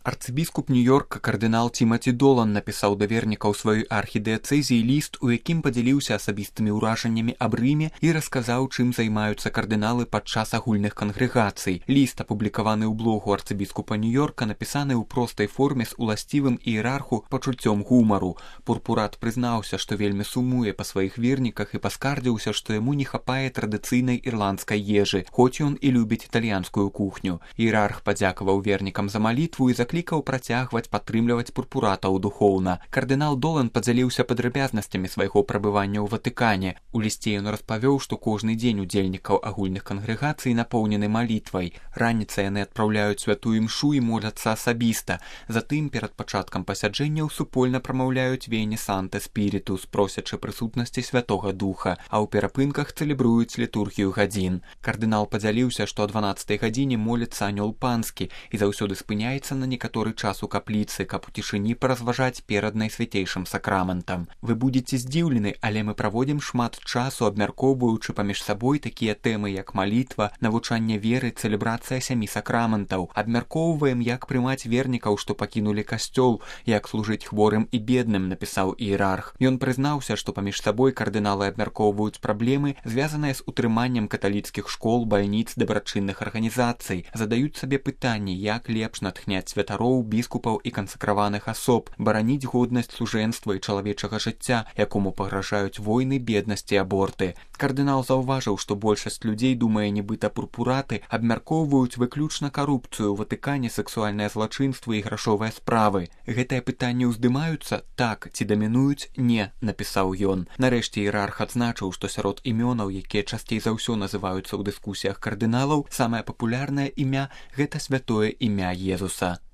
Арцыбіскуп Нью-Йорка кардынал Тимаці Долан напісаў да вернікаў сваёй архідыяцэзіі ліст, у якім падзяліўся асабістымі ўражаннямі аб Рыме і расказаў, чым займаюцца кардыналы падчас агульных кангрэгацый. Ліст, апублікаваны ў блогу арцыбіскупа Нью-Йорка, напісаны ў простай форме з уласцівым іерарху пачуццём гумару. Пурпурат прызнаўся, што вельмі сумуе па сваіх верніках і паскардзіўся, што яму не хапае традыцыйнай ірландскай ежы, хоць ён і любіць італьянскую кухню. Іерарх падзякаваў вернікам за малітву і заклікаў працягваць падтрымліваць пурпуратаў духоўна. Кардынал Долан падзяліўся падрабязнасцямі свайго прабывання ў Ватыкане. У лісце ён распавёў, што кожны дзень удзельнікаў агульных кангрэгацый напоўнены малітвай. Раніцай яны адпраўляюць святую імшу і моляцца асабіста. Затым перад пачаткам пасяджэнняў супольна прамаўляюць Вені Санте Спірітус, просячы прысутнасці Святога Духа, а ў перапынках цэлебруюць літургію гадзін. Кардынал падзяліўся, што о 12 гадзіне моліцца анёл панскі і заўсёды спыняецца на некаторы час у капліцы, каб у цішыні паразважаць перад найсвяцейшым сакраментам. Вы будзеце здзіўлены, але мы праводзім шмат часу, абмяркоўваючы паміж сабой такія тэмы, як малітва, навучанне веры, цэлебрацыя 7 сакраментаў. Абмяркоўваем, як прымаць вернікаў, што пакінулі касцёл, як служыць хворым і бедным, напісаў іерарх. Ён прызнаўся, што паміж сабой кардыналы абмяркоўваюць праблемы, звязаныя з утрыманнем каталіцкіх школ, бальніц, дабрачынных арганізацый. Задаюць сабе пытанні, як лепш натхняць святароў, біскупаў і кансакраваных асоб, бараніць годнасць служэнства і чалавечага жыцця, якому пагражаюць войны, беднасць і аборты. Кардынал заўважыў, што большасць людзей, думае, нібыта пурпураты, абмяркоўваюць выключна карупцыю ў Ватыкане, сексуальнае злачынства і грашовыя справы. Гэтыя пытанні ўздымаюцца? Так. Ці дамінуюць? Не, напісаў ён. Нарэшце іерарх адзначыў, што сярод імёнаў, якія часцей за ўсё называюцца ў дыскусіях кардыналаў, самае папулярнае імя – гэта святое імя Езуса.